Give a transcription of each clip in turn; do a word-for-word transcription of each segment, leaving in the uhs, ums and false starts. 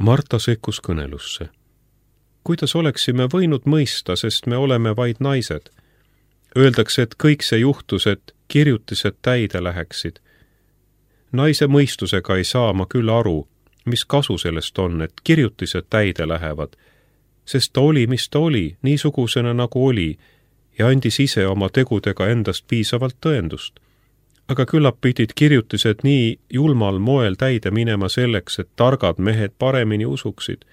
Marta sekkus kõnelusse. Kuidas oleksime võinud mõista, sest me oleme vaid naised? Öeldakse, et kõik see juhtus, et kirjutised täide läheksid. Naise mõistusega ei saa ma küll aru, mis kasu sellest on, et kirjutised täide lähevad, sest ta oli, mis ta oli, niisugusena nagu oli, ja andis ise oma tegudega endast piisavalt tõendust. Aga küllap pidid kirjutised nii julmal moel täide minema selleks, et targad mehed paremini usuksid.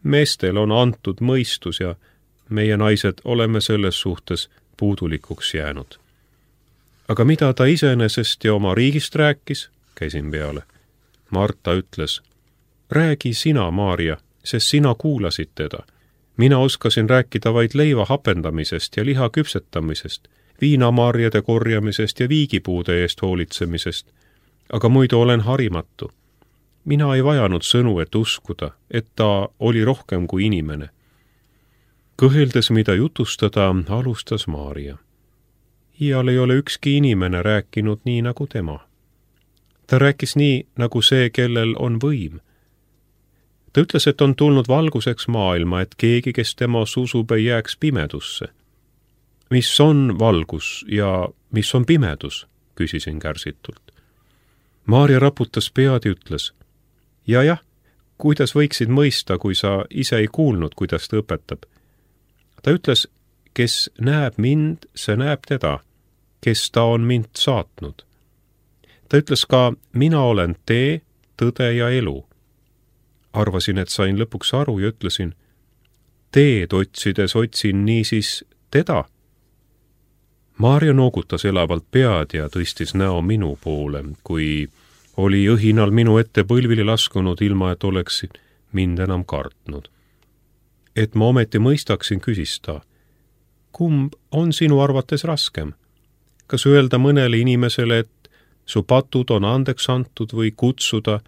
Meestel on antud mõistus ja meie naised oleme selles suhtes puudulikuks jäänud. Aga mida ta iseenesest ja oma riigist rääkis, käisin peale. Marta ütles, räägi sina, Maarja, sest sina kuulasid teda. Mina oskasin rääkida vaid leiva hapendamisest ja liha küpsetamisest, viinamarjade korjamisest ja viigipuude eest hoolitsemisest, aga muidu olen harimatu. Mina ei vajanud sõnu, et uskuda, et ta oli rohkem kui inimene. Kõheldes, mida jutustada, alustas Maarja. Iial ei ole ükski inimene rääkinud nii nagu tema. Ta rääkis nii, nagu see, kellel on võim. Ta ütles, et on tulnud valguseks maailma, et keegi, kes temas usub, ei jääks pimedusse. Mis on valgus ja mis on pimedus, küsisin kärsitult. Maarja raputas pead ja ütles, ja jah, kuidas võiksid mõista, kui sa ise ei kuulnud, kuidas ta õpetab. Ta ütles, kes näeb mind, see näeb teda, kes ta on mind saatnud. Ta ütles ka, mina olen tee, tõde ja elu. Arvasin, et sain lõpuks aru ja ütlesin, teed otsides otsin niisiis teda. Maarja noogutas elavalt pead ja tõstis näo minu poole, kui oli õhinal minu ette põlvili laskunud, ilma et oleksin mind enam kartnud. Et ma ometi mõistaksin, küsis ta, kumb on sinu arvates raskem? Kas öelda mõnele inimesele, et su patud on andeks antud või kutsuda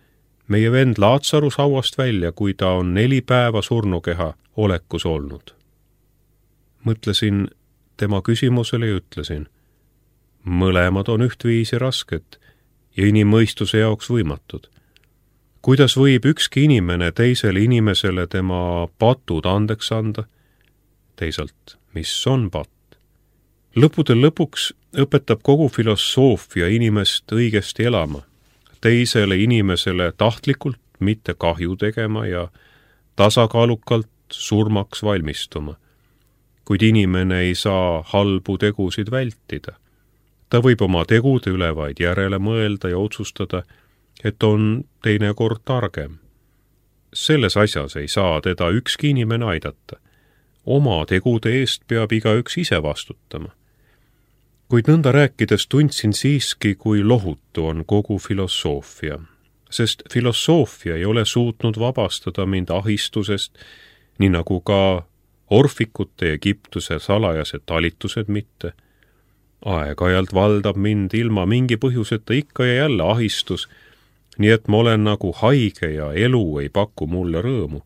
meie vend Laatsarus hauast välja, kui ta on neli päeva surnukeha olekus olnud? Mõtlesin tema küsimusele ja ütlesin, mõlemad on ühtviisi rasked ja inimmõistuse jaoks võimatud. Kuidas võib ükski inimene teisele inimesele tema patud andeks anda? Teisalt, mis on patt? Lõpudel lõpuks õpetab kogu filosoofia inimest õigesti elama, teisele inimesele tahtlikult mitte kahju tegema ja tasakaalukalt surmaks valmistuma. Kuid inimene ei saa halbu tegusid vältida. Ta võib oma tegude üle vaid järele mõelda ja otsustada, et on teinekord targem. Selles asjas ei saa teda ükski inimene aidata. Oma tegude eest peab igaüks ise vastutama. Kuid nõnda rääkides tundsin siiski, kui lohutu on kogu filosoofia, sest filosoofia ei ole suutnud vabastada mind ahistusest, nii nagu ka orfikute Egiptuse salajased talitused mitte. Aeg-ajalt valdab mind ilma mingi põhjuseta ikka ja jälle ahistus, nii et ma olen nagu haige ja elu ei paku mulle rõõmu.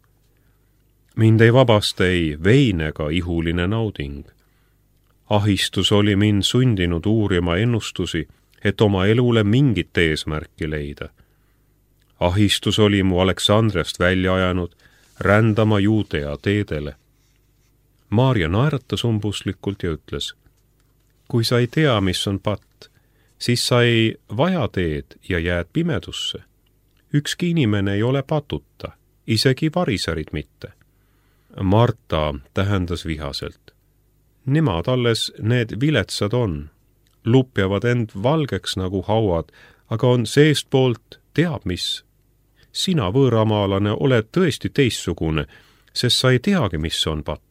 Mind ei vabasta ei vein ega ihuline nauding. Ahistus oli mind sundinud uurima ennustusi, et oma elule mingit eesmärki leida. Ahistus oli mu Aleksandriast välja ajanud rändama Juudea teedele. Maarja naeratas umbuslikult ja ütles, kui sa ei tea, mis on patt, siis sa ei vaja teed ja jääd pimedusse. Ükski inimene ei ole patuta, isegi variserid mitte. Marta tähendas vihaselt. Nemad alles need viletsad on, lupjavad end valgeks nagu hauad, aga on seestpoolt teab mis. Sina, võõramaalane, oled tõesti teissugune, sest sa ei teagi, mis on patt.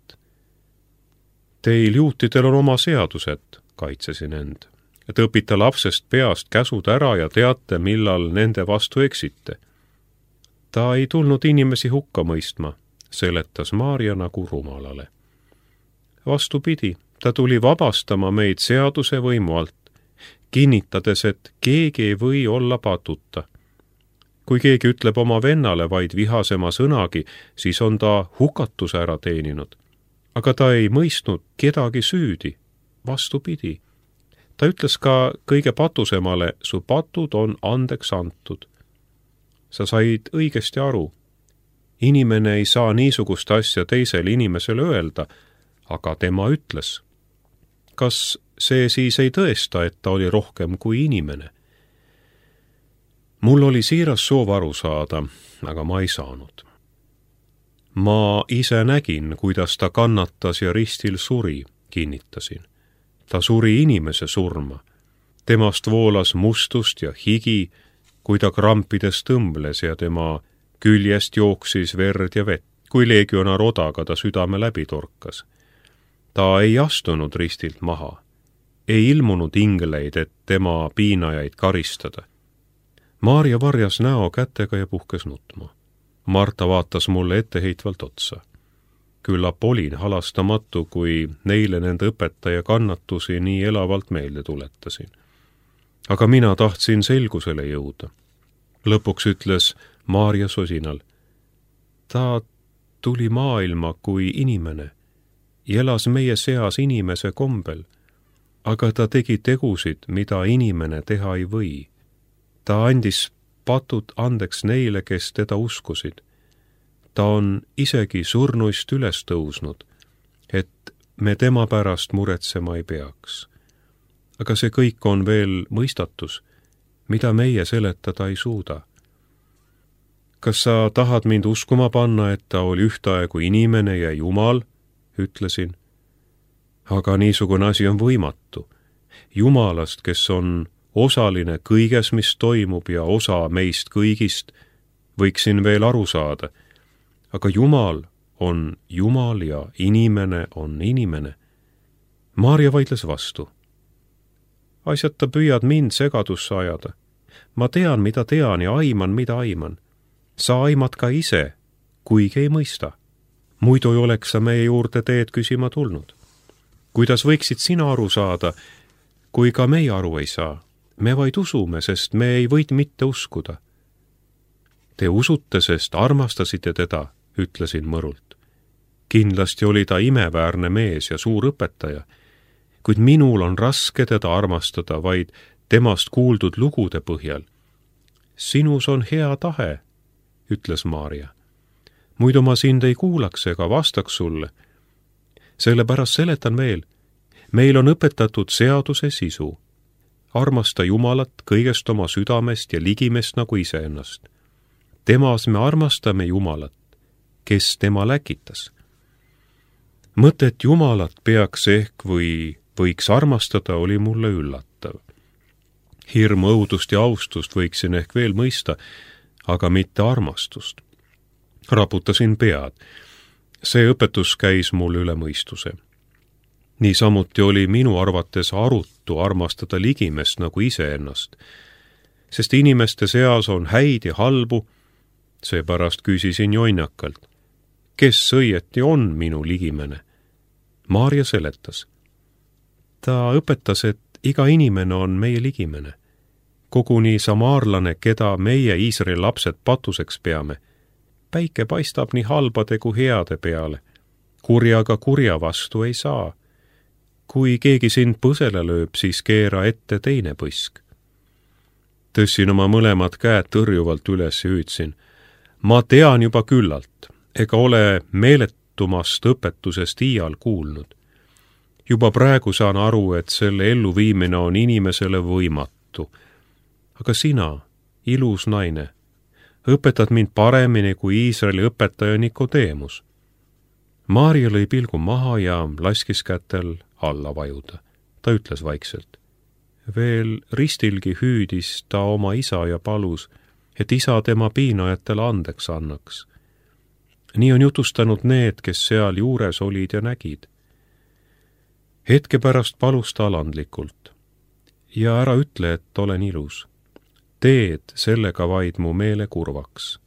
Teil juutidel on oma seadused, kaitsesin end. Et õpita lapsest peast käsud ära ja teate, millal nende vastu eksite. Ta ei tulnud inimesi hukka mõistma, seletas Maarja nagu rumalale. Vastupidi, ta tuli vabastama meid seaduse võimu alt, kinnitades, et keegi ei või olla patuta. Kui keegi ütleb oma vennale vaid vihasema sõnagi, siis on ta hukatuse ära teeninud. Aga ta ei mõistnud kedagi süüdi, vastupidi. Ta ütles ka kõige patusemale, su patud on andeks antud. Sa said õigesti aru. inimene ei saa niisugust asja teisele inimesele öelda, aga tema ütles. Kas see siis ei tõesta, et ta oli rohkem kui inimene? Mul oli siiras soov aru saada, aga ma ei saanud. Ma ise nägin, kuidas ta kannatas ja ristil suri, kinnitasin. Ta suri inimese surma. Temast voolas mustust ja higi, kui ta krampides tõmbles ja tema küljest jooksis verd ja vett, kui legionar odaga ta südame läbi torkas. Ta ei astunud ristilt maha. Ei ilmunud ingleid, et tema piinajaid karistada. Maarja varjas näo kätega ja puhkes nutma. Marta vaatas mulle etteheitvalt otsa. Küllap olin halastamatu, kui neile nende õpetaja kannatusi nii elavalt meelde tuletasin. Aga mina tahtsin selgusele jõuda. Lõpuks ütles Maarja sosinal. Ta tuli maailma kui inimene, elas meie seas inimese kombel, aga ta tegi tegusid, mida inimene teha ei või. Ta andis patud andeks neile, kes teda uskusid. Ta on isegi surnuist üles tõusnud, et me tema pärast muretsema ei peaks. Aga see kõik on veel mõistatus, mida meie seletada ei suuda. Kas sa tahad mind uskuma panna, et ta oli ühtaegu inimene ja Jumal, ütlesin. Aga niisugune asi on võimatu. Jumalast, kes on osaline kõiges, mis toimub ja osa meist kõigist, võiksin veel aru saada. Aga Jumal on Jumal ja inimene on inimene. Maarja vaidles vastu. Asjata püüad mind segadusse ajada. Ma tean, mida tean ja aiman, mida aiman. Sa aimad ka ise, kuigi ei mõista. Muidu ei oleks sa meie juurde teed küsima tulnud. Kuidas võiksid sina aru saada, kui ka meie aru ei saa? Me vaid usume, sest me ei võid mitte uskuda. Te usute, sest armastasite teda, ütlesin mõrult. Kindlasti oli ta imeväärne mees ja suur õpetaja, kuid minul on raske teda armastada vaid temast kuuldud lugude põhjal. Sinus on hea tahe, ütles Maarja. Muidu ma sind ei kuulaks ega vastaks sulle. Sellepärast seletan veel. Meil on õpetatud seaduse sisu. Armasta Jumalat kõigest oma südamest ja ligimest nagu iseennast. Temas me armastame Jumalat, kes tema läkitas. Mõtet Jumalat peaks ehk või võiks armastada oli mulle üllatav. Hirm, õudust ja austust võiksin ehk veel mõista, aga mitte armastust. Raputasin pead. See õpetus käis mul üle mõistuse. Niisamuti oli minu arvates arutu armastada ligimest nagu iseennast, sest inimeste seas on häid ja halbu, seepärast küsisin jonnakalt, kes õieti on minu ligimene. Maarja seletas. Ta õpetas, et iga inimene on meie ligimene. Koguni samaarlane, keda meie Iisraeli lapsed patuseks peame. Päike paistab nii halbade kui heade peale. Kurjaga kurja vastu ei saa. Kui keegi sind põsele lööb, siis keera ette teine põsk. Tõssin oma mõlemad käed tõrjuvalt üles ja hüüdsin. Ma tean juba küllalt, ega ole meeletumast õpetusest iial kuulnud. Juba praegu saan aru, et selle elluviimine on inimesele võimatu. Aga sina, ilus naine, õpetad mind paremini kui Iisraeli õpetaja Nikodeemus. Maarja lõi pilgu maha ja laskis kätel alla vajuda. Ta ütles vaikselt. Veel ristilgi hüüdis ta oma isa ja palus, et isa tema piinajatele andeks annaks. Nii on jutustanud need, kes seal juures olid ja nägid. Hetke pärast palus ta alandlikult. Ja ära ütle, et olen ilus. Teed sellega vaid mu meele kurvaks.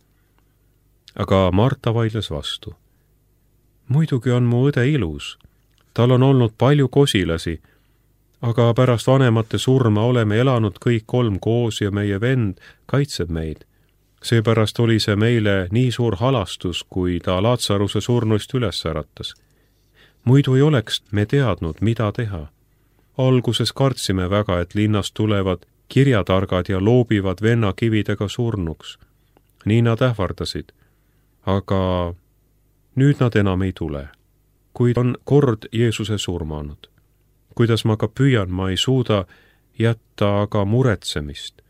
Aga Marta vaidles vastu. Muidugi on mu õde ilus. Tal on olnud palju kosilasi, aga pärast vanemate surma oleme elanud kõik kolm koos ja meie vend kaitseb meid. Seepärast oli see meile nii suur halastus, kui ta Laatsaruse surnuist üles äratas. Muidu ei oleks me teadnud, mida teha. Alguses kartsime väga, et linnast tulevad kirjatargad ja loobivad venna kividega surnuks. Nii nad ähvardasid. aga nüüd nad enam ei tule, kuid on kord Jeesuse surmanud. Kuidas ma ka püüan, ma ei suuda jätta aga muretsemist.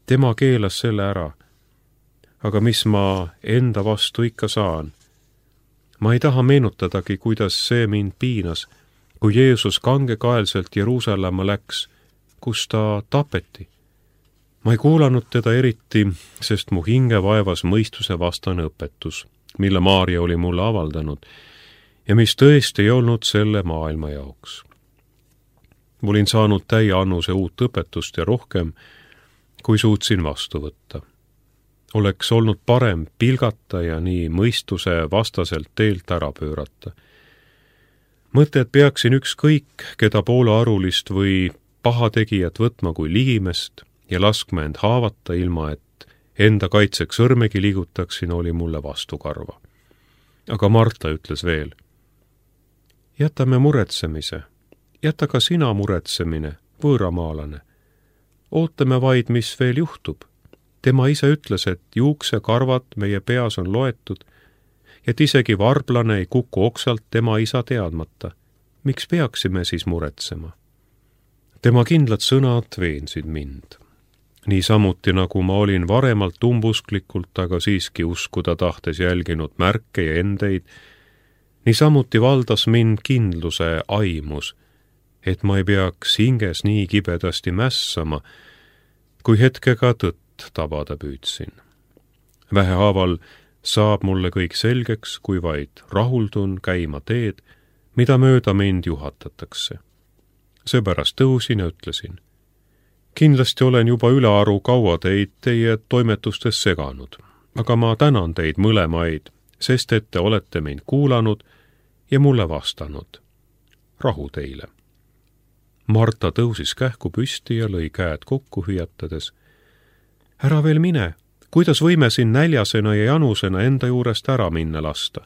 Tema keelas selle ära. Aga mis ma enda vastu ikka saan? Ma ei taha meenutadagi, kuidas see mind piinas, kui Jeesus kangekaelselt Jeruusalemma läks, kus ta tapeti. Ma ei kuulanud teda eriti, sest mu hinge vaevas mõistuse vastane õpetus, mille Maaria oli mulle avaldanud ja mis tõesti ei olnud selle maailma jaoks. Ma olin saanud täie annuse uut õpetust ja rohkem, kui suutsin vastu võtta. Oleks olnud parem pilgata ja nii mõistuse vastaselt teelt ära pöörata. Mõte, et peaksin ükskõik, keda poolearulist või pahategijat võtma kui ligimest ja laskma end haavata ilma, et enda kaitseks sõrmegi liigutaksin, oli mulle vastukarva. Aga Marta ütles veel, jätame muretsemise, jäta ka sina muretsemine, võõramaalane. Ootame vaid, mis veel juhtub. Tema ise ütles, et juuksekarvad meie peas on loetud, et isegi varblane ei kuku oksalt tema isa teadmata. Miks peaksime siis muretsema? Tema kindlad sõnad veensid mind. Nii samuti, nagu ma olin varemalt umbusklikult, aga siiski uskuda tahtes jälginud märke ja endeid, nii samuti valdas mind kindluse aimus, et ma ei peaks hinges nii kibedasti mässama, kui hetkega tõtt tabada püüdsin. Vähehaaval saab mulle kõik selgeks, kui vaid rahuldun käima teed, mida mööda mind juhatatakse. Seepärast tõusin ja ütlesin, kindlasti olen juba ülearu kaua teid teie toimetustes seganud, aga ma tänan teid mõlemaid, sest et te olete mind kuulanud ja mulle vastanud. Rahu teile. Marta tõusis kähku püsti ja lõi käed kokku hüüatades. Ära veel mine, kuidas võime siin näljasena ja janusena enda juurest ära minna lasta?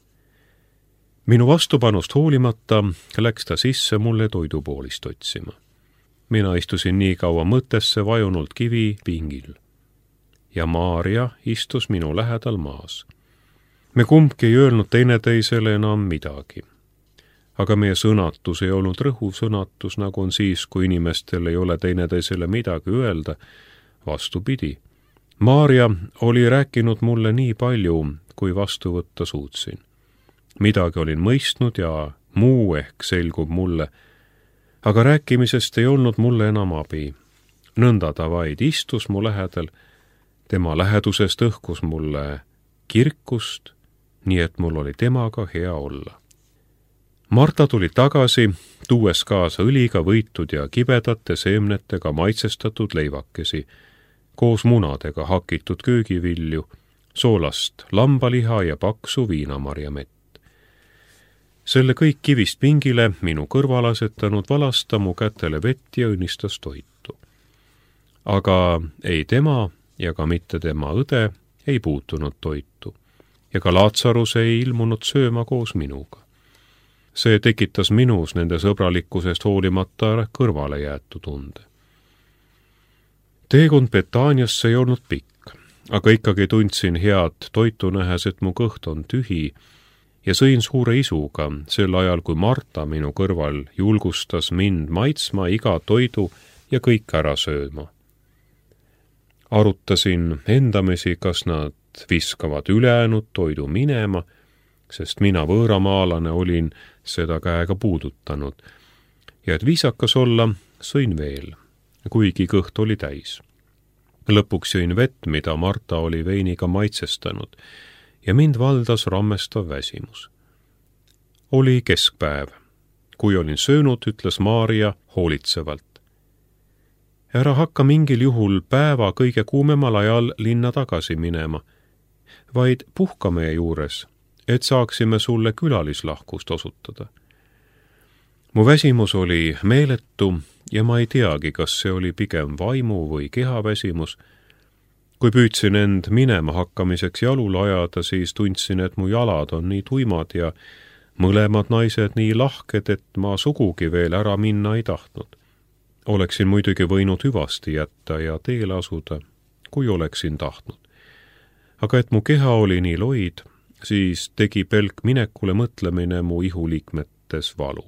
Minu vastupanust hoolimata läks ta sisse mulle toidupoolist otsima. Mina istusin nii kaua mõttesse vajunult kivi pingil. Ja Maaria istus minu lähedal maas. Me kumbki ei öelnud teineteisele enam midagi. Aga meie sõnatus ei olnud rõhuv sõnatus, nagu on siis, kui inimestel ei ole teineteisele midagi öelda. Vastupidi. Maaria oli rääkinud mulle nii palju, kui vastu võtta suutsin. Midagi olin mõistnud ja muu ehk selgub mulle, aga rääkimisest ei olnud mulle enam abi. Nõnda ta vaid istus mu lähedal, tema lähedusest õhkus mulle kirkust, nii et mul oli temaga hea olla. Marta tuli tagasi, tuues kaasa õliga võitud ja kibedate seemnetega maitsestatud leivakesi, koos munadega hakitud köögivilju, soolast lambaliha ja paksu viinamarjamett. Selle kõik kivist pingile minu kõrval asetanud valasta mu kätele vett ja õnnistas toitu. Aga ei tema ja ka mitte tema õde ei puutunud toitu ja ka Laatsarus ei ilmunud sööma koos minuga. See tekitas minus nende sõbralikkusest hoolimata kõrvale jäetu tunde. Teekond Betaaniasse ei olnud pikk, aga ikkagi tundsin head toitu nähes, et mu kõht on tühi ja sõin suure isuga sel ajal, kui Marta minu kõrval julgustas mind maitsma iga toidu ja kõik ära sööma. Arutasin endamisi, kas nad viskavad ülejäänud toidu minema, sest mina võõramaalane olin seda käega puudutanud ja et viisakas olla, sõin veel, kuigi kõht oli täis. Lõpuks jõin vett, mida Marta oli veiniga maitsestanud ja mind valdas rammestav väsimus. Oli keskpäev. Kui olin söönud, ütles Maaria hoolitsevalt. Ära hakka mingil juhul päeva kõige kuumemal ajal linna tagasi minema, vaid puhka meie juures, et saaksime sulle külalislahkust osutada. Mu väsimus oli meeletu ja ma ei teagi, kas see oli pigem vaimu või kehaväsimus. Kui püüdsin end minema hakkamiseks jalul ajada, siis tundsin, et mu jalad on nii tuimad ja mõlemad naised nii lahked, et ma sugugi veel ära minna ei tahtnud. Oleksin muidugi võinud hüvasti jätta ja teele asuda, kui oleksin tahtnud. Aga et mu keha oli nii loid, siis tegi pelk minekule mõtlemine mu ihuliikmetes valu.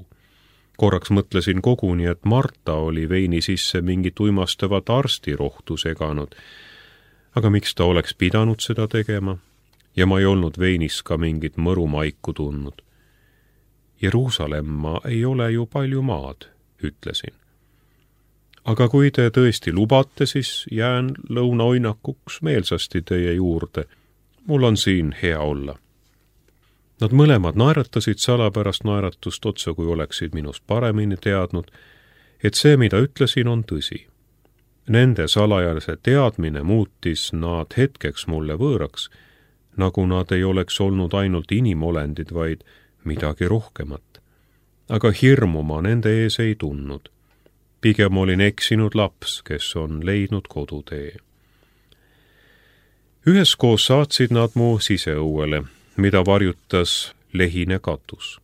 Korraks mõtlesin koguni, et Marta oli veini sisse mingit uimastavat arstirohtu seganud, aga miks ta oleks pidanud seda tegema? Ja ma ei olnud veinis ka mingit mõrumaiku tundnud. Jeruusalemma ei ole ju palju maad, ütlesin. Aga kui te tõesti lubate, siis jään lõunaoinakuks meelsasti teie juurde. Mul on siin hea olla. Nad mõlemad naeratasid salapärast naeratust otsa, kui oleksid minust paremini teadnud, et see, mida ütlesin, on tõsi. Nende salajase teadmine muutis nad hetkeks mulle võõraks, nagu nad ei oleks olnud ainult inimolendid, vaid midagi rohkemat. Aga hirmu ma nende ees ei tundnud. Pigem olin eksinud laps, kes on leidnud kodutee. Üheskoos saatsid nad mu siseõuele, mida varjutas lehine katus.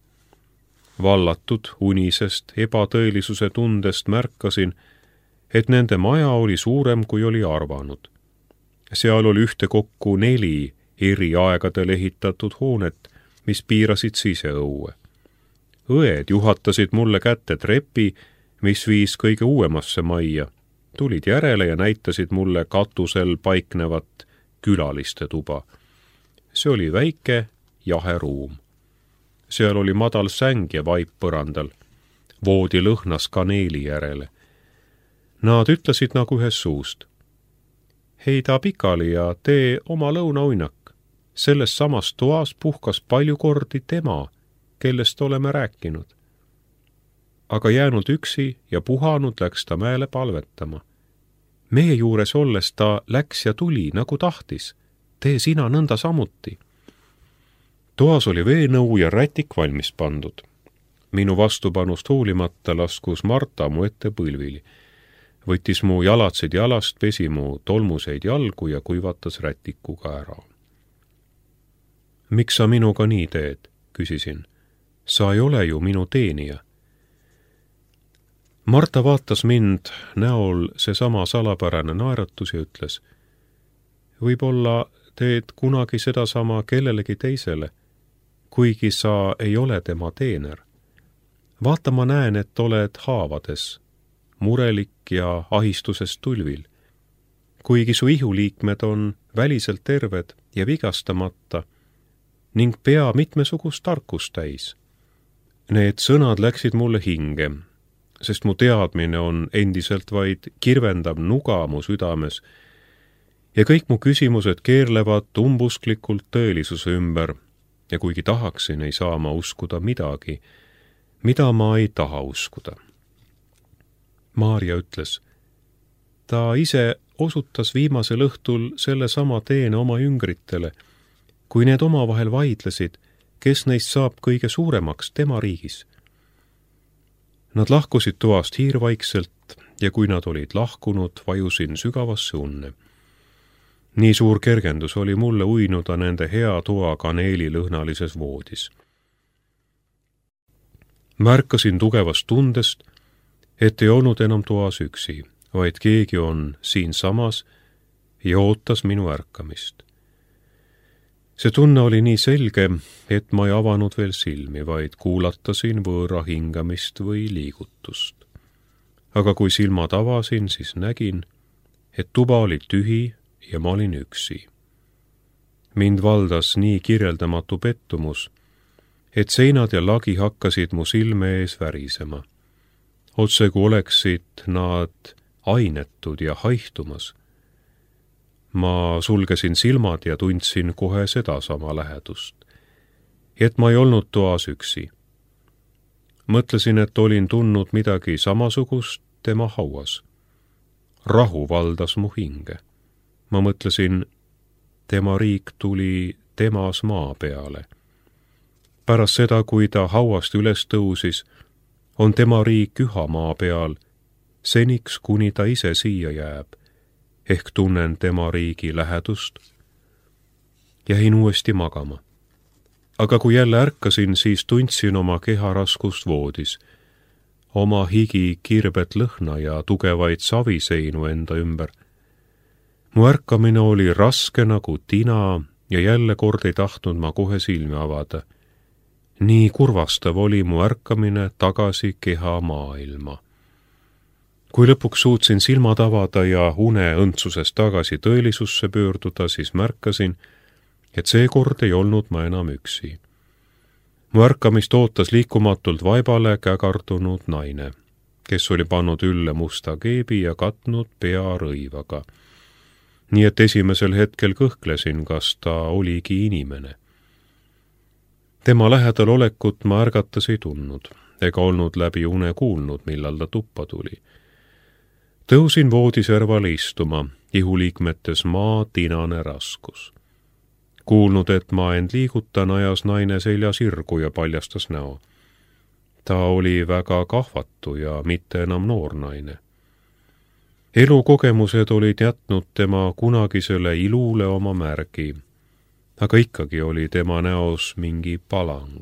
Vallatud unisest ebatõelisuse tundest märkasin, et nende maja oli suurem, kui oli arvanud. Seal oli ühtekokku neli eri aegadel ehitatud hoonet, mis piirasid siseõue. Õed juhatasid mulle kätte trepi, mis viis kõige uuemasse majja, tulid järele ja näitasid mulle katusel paiknevat külaliste tuba. See oli väike jahe ruum. Seal oli madal säng ja vaip põrandal. Voodi lõhnas kaneeli järele. Nad ütlesid nagu ühes suust. Heida pikali ja tee oma lõunauinak. Selles samas toas puhkas palju kordi tema, kellest oleme rääkinud. Aga jäänud üksi ja puhanud läks ta mäele palvetama. Meie juures olles ta läks ja tuli, nagu tahtis. Tee sina nõnda samuti. Toas oli veenõu ja rätik valmis pandud. Minu vastupanust hoolimata laskus Marta mu ette põlvili. Võttis mu jalatsid jalast, pesi mu tolmuseid jalgu ja kuivatas rätikuga ära. Miks sa minuga nii teed, küsisin. Sa ei ole ju minu teenija. Marta vaatas mind näol seesama salapärane naeratus ja ütles, võib-olla teed kunagi sedasama kellelegi teisele, kuigi sa ei ole tema teener. Vaata, ma näen, et oled haavades, murelik ja ahistusest tulvil. Kuigi su ihuliikmed on väliselt terved ja vigastamata ning pea mitmesugust tarkust täis. Need sõnad läksid mulle hinge, sest mu teadmine on endiselt vaid kirvendav nuga mu südames ja kõik mu küsimused keerlevad umbusklikult tõelisuse ümber ja kuigi tahaksin, ei saa ma uskuda midagi, mida ma ei taha uskuda. Maarja ütles, ta ise osutas viimasel õhtul selle sama teene oma jüngritele, kui need omavahel vaidlesid, kes neist saab kõige suuremaks tema riigis. Nad lahkusid toast hiirvaikselt ja kui nad olid lahkunud, vajusin sügavasse unne. Nii suur kergendus oli mulle uinuda nende hea toa kaneelilõhnalises voodis. Märkasin tugevast tundest, et ei olnud enam toas üksi, vaid keegi on siin samas ja ootas minu ärkamist. See tunne oli nii selge, et ma ei avanud veel silmi, vaid kuulatasin võõra hingamist või liigutust. Aga kui silmad avasin, siis nägin, et tuba oli tühi ja ma olin üksi. Mind valdas nii kirjeldamatu pettumus, et seinad ja lagi hakkasid mu silme ees värisema. Otse kui oleksid nad ainetud ja haihtumas. Ma sulgesin silmad ja tundsin kohe sedasama lähedust. Et ma ei olnud toas üksi. Mõtlesin, et olin tundnud midagi samasugust tema hauas. Rahu valdas mu hinge. Ma mõtlesin, tema riik tuli temas maa peale. Pärast seda, kui ta hauast üles tõusis, on tema riik üha maa peal, seniks kuni ta ise siia jääb. Ehk tunnen tema riigi lähedust. Jäin uuesti magama. Aga kui jälle ärkasin, siis tundsin oma keha raskust voodis, oma higi kirbet lõhna ja tugevaid saviseinu enda ümber. Mu ärkamine oli raske nagu tina ja jälle kord ei tahtnud ma kohe silmi avada. Nii kurvastav oli mu ärkamine tagasi keha maailma. Kui lõpuks suutsin silmad avada ja une õndsusest tagasi tõelisusse pöörduda, siis märkasin, et seekord ei olnud ma enam üksi. Mu ärkamist ootas liikumatult vaibale kägardunud naine, kes oli pannud ülle musta keebi ja katnud pea rõivaga. Nii et esimesel hetkel kõhklesin, kas ta oligi inimene. Tema lähedal olekut ma ärgatas ei tundnud, ega olnud läbi une kuulnud, millal ta tuppa tuli. Tõusin voodiservale istuma, ihuliikmetes maa tinane raskus. Kuulnud, et ma end liigutan, ajas naine selja sirgu ja paljastas näo. Ta oli väga kahvatu ja mitte enam noor naine. Elukogemused olid jätnud tema kunagisele ilule oma märgi, aga ikkagi oli tema näos mingi palang.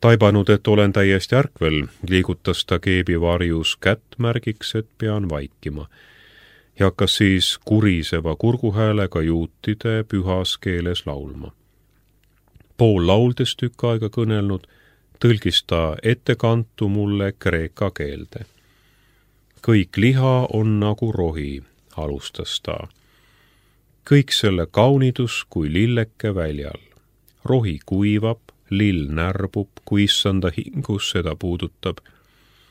Taibanud, et olen täiesti ärkvel, liigutas ta keebi varjus kätt märgiks, et pean vaikima, ja hakkas siis kuriseva kurguhäälega juutide pühas keeles laulma. Pool lauldes tükk aega kõnelnud, tõlgis ta ettekantu mulle kreeka keelde. Kõik liha on nagu rohi, alustas ta. Kõik selle kaunidus kui lilleke väljal. Rohi kuivab, lill närbub, kui issanda hingus seda puudutab.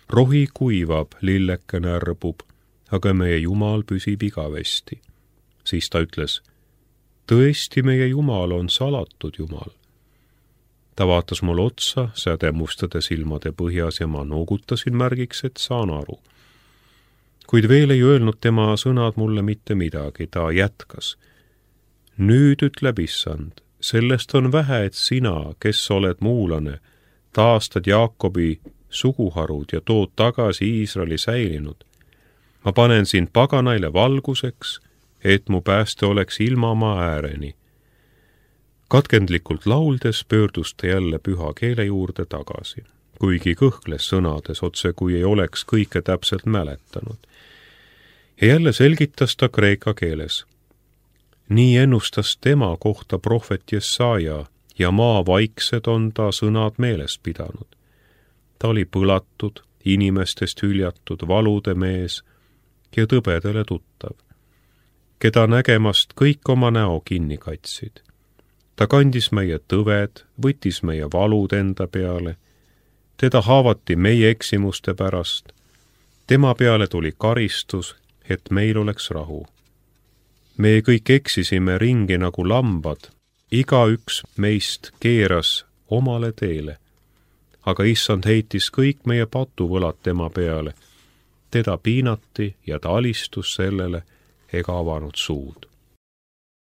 Rohi kuivab, lilleke närbub, aga meie Jumal püsib igavesti. Siis ta ütles, tõesti meie Jumal on salatud Jumal. Ta vaatas mul otsa, sädemustade silmade põhjas ja ma noogutasin märgiks, et saan aru. Kuid veel ei öelnud tema sõnad mulle mitte midagi, ta jätkas. Nüüd ütleb issand, sellest on vähe, et sina, kes oled muulane, taastad Jaakobi suguharud ja tood tagasi Iisraeli säilinud. Ma panen sind paganaile valguseks, et mu pääste oleks ilmamaa ääreni. Katkendlikult lauldes pöördus ta jälle püha keele juurde tagasi, kuigi kõhkles sõnades otse, kui ei oleks kõike täpselt mäletanud. Ja jälle selgitas ta kreeka keeles. Nii ennustas tema kohta prohvet Jesaja ja maa vaiksed on ta sõnad meeles pidanud. Ta oli põlatud, inimestest hüljatud, valude mees ja tõbedele tuttav, keda nägemast kõik oma näo kinni katsid. Ta kandis meie tõved, võttis meie valud enda peale, teda haavati meie eksimuste pärast, tema peale tuli karistus, et meil oleks rahu. Me kõik eksisime ringi nagu lambad, igaüks meist keeras omale teele, aga issand heitis kõik meie patuvõlad tema peale, teda piinati ja ta alistus sellele ega avanud suud.